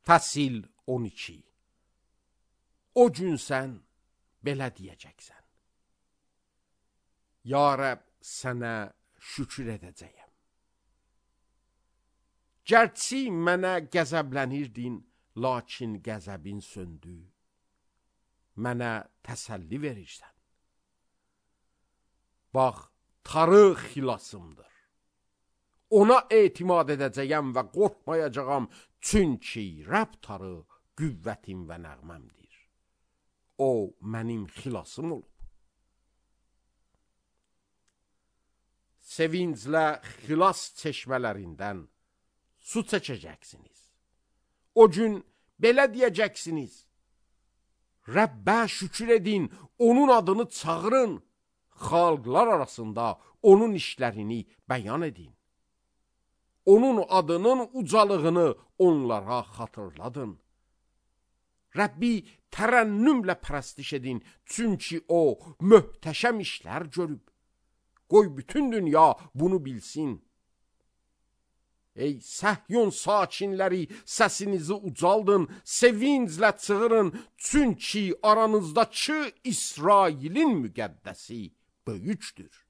Fəsil 12. O gün sən belə deyəcəksən: Ya Rəbb, sənə şükür edəcəyəm. Gərçi mənə qəzəblənirdin, lakin qəzəbin söndü. Mənə təsəlli verirsən. Bax, Tanrı xilasımdır. Ona etimad edəcəyəm və qorxmayacağam, çünki Rəbb Tanrı qüvvətim və nəğməmdir. O, mənim xilasım olub. Sevinclə xilas çeşmələrindən su çəkəcəksiniz. O gün belə deyəcəksiniz: Rəbbə şükür edin, onun adını çağırın, xalqlar arasında onun işlərini bəyan edin. Onun adının ucalığını onlara xatırladın. Rəbbi tərənnümlə pərəstiş edin, çünki o möhtəşəm işlər görüb. Qoy bütün dünya bunu bilsin. Ey Səhyon sakinləri, səsinizi ucaldın, sevinclə çığırın, çünki aranızdakı İsrailin müqəddəsi böyükdür.